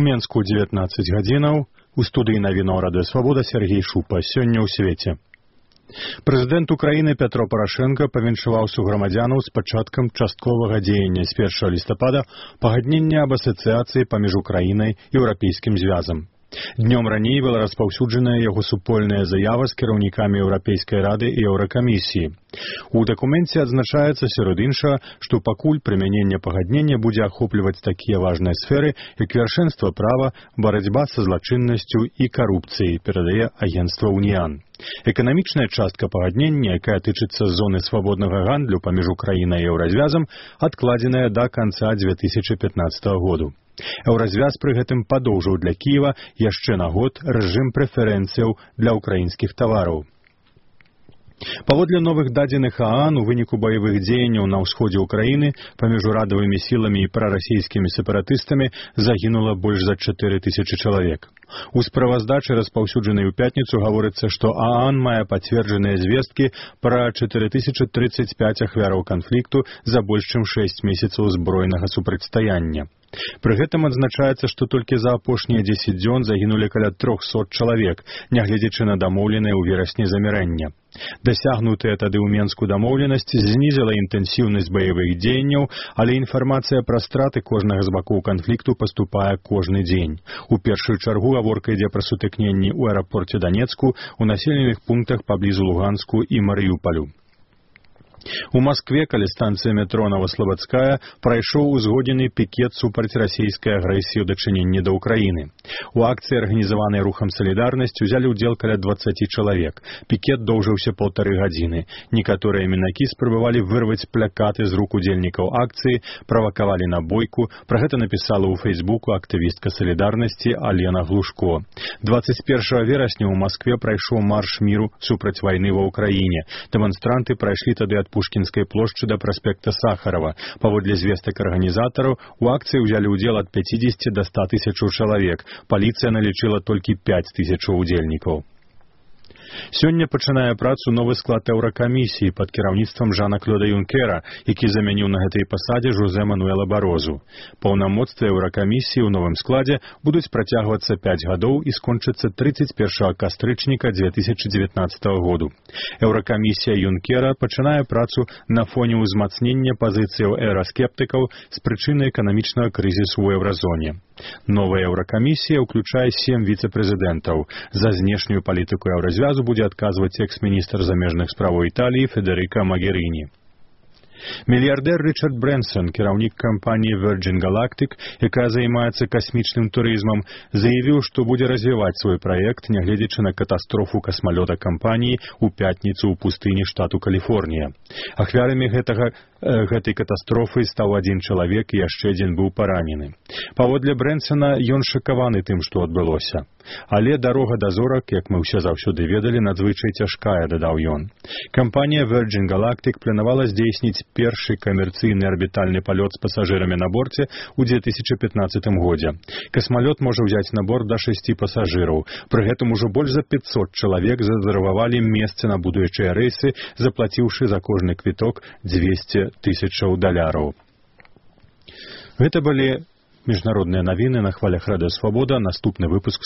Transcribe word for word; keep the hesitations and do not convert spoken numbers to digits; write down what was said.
У Менску дзевятнаццаць гадзінаў, у студыі навінаў Радыё Свабода Сергей Шупа. Сёння ў свеце. Прэзідэнт Украіны Пятро Парашенко павіншаваў суграмадзянаў з пачаткам частковага дзеяння з першага лістапада пагаднення аб асацыяцыі паміж Украінай і Еўрапейскім звязам. Днём раней была распаўсюджаная яго супольная заява з кіраўнікамі Еўрапейскай рады і Еўракамісіі. У дакуменце адзначаецца, сярод іншага, што пакуль прымяненне пагаднення будзе ахопліваць такія важныя сферы, як вяршэнства права, барацьба са злачыннасцю і карупцыяй, перадае агенцтва «Уніан». Эканамічная частка пагаднення, якая тычыцца зоны свабоднага гандлю паміж Украінай і Еўразвязам, адкладзеная да канца дзве тысячы пятнаццатага году. Еўразвяз пры гэтым падоўжыў для Кіева яшчэ на год рэжым прэферэнцыяў для ўкраінскіх тавараў. Паводле новых дадзеных ААН, у выніку баявых дзеянняў на ўсходзе ўкраіны паміж урадавымі сіламі і прарасійскімі сепаратыстамі загінула больш за чатыры тысячы чалавек. У справаздачы, распаўсюджанай у пятніцу, гаворыцца, што ААН мае пацверджаныя звесткі пра чатыры тысячы трыццаць пяць ахвяраў канфлікту за больш чым шэсць месяцаў збройнага супрацьстаяння. Пры гэтым адзначаецца, што толькі за апошнія дзесяць дзён загінулі каля трохсот чалавек, нягледзячы на дамоўленае ў верасні замірэнне. Дасягнутая тады ў Менску дамоўленасць знізіла інтэнсіўнасць баявых дзеянняў, але інфармацыя пра страты кожнага з бакоў канфлікту паступае кожны дзень. У першую чаргу гаворка ідзе пра сутыкненні ў аэрапорце Данецку, у населеных пунктах паблізу Луганску і Марыюпалю. У Маскве, каля станцыі метро Новаслабадская, прайшоў узгоднены пікет супраць расійскай агрэсіі ў дачыненні да Ўкраіны. У акцыі, арганізаванай рухам «Салідарнасць», узялі ўдзел каля дваццаці чалавек. Пікет доўжыўся паўтары гадзіны. Некаторыя мінакі спрабавалі вырваць плакаты з рук удзельнікаў акцыі, правакавалі на бойку. Пра гэта напісала ў Фэйсбуку актывістка «Салідарнасці» Алена Глушко. дваццаць першага верасня ў Маскве прайшоў марш міру супраць вайны ва Ўкраіне. Дэманстранты прайшлі тады ад Пушкінскай плошчы да праспекта Сахарова. Паводле звестак арганізатараў, у акцыі ўзялі ўдзел ад пяцідзесяці да ста тысячаў чалавек. Паліцыя налічыла толькі пяць тысячаў удзельнікаў. Сёння пачынае працу новы склад Еўракамісіі пад кіраўніцтвам Жана-Клода Юнкера, які заменіў на гэтай пасадзе Жозе Мануэла Барозу. Паўнамоцтвы Еўракамісіі ў новым складзе будуць працягвацца пяць гадоў і скончацца трыццаць першага кастрычніка дзве тысячы дзевятнаццатага году. Еўракамісія Юнкера пачынае працу на фоне ўзмацнення пазіцыяў еўраскептыкаў з прычыны эканамічнага крызісу ў еўразоне. Новая Еўракамісія ўключае сем віцэ-прэзідэнтаў. За знешнюю палітыку еўразвязу будзе адказваць экс-міністр замежных справаў Італіі Федэрыка Магеріні. Мільярдэр Ричард Брэнсон, кіраўнік кампаніі Virgin Galactic, якая займаецца касмічным турызмам, заявіў, што будзе развіваць свой праект, нягледзячы на катастрофу касмалёта кампаніі ў пятніцу ў пустыні штату Каліфорнія. Ахвярамі гэтага, э, гэтай катастрофы стаў адзін чалавек і яшчэ адзін быў паранены. Паводле Брэнсона, ён шакаваны тым, што адбылося. Але дарога да зорак, як мы ўсе заўсёды ведалі, надзвычай цяжкая, дадаў ён. Кампанія Virgin Galactic планавала здзейсніць першы камерцыйны арбітальны палёт з пасажырамі на борце ў дзве тысячы пятнаццатым годзе. Касмалёт можа ўзяць на борт да шасці пасажыраў. Пры гэтым ужо больш за пяцьсот чалавек зарэзервавалі месцы на будучыя рэйсы, заплаціўшы за кожны квіток дзвесце тысячаў даляраў. Гэта былі міжнародныя навіны на хвалях Радыё Свабода. Наступны выпуск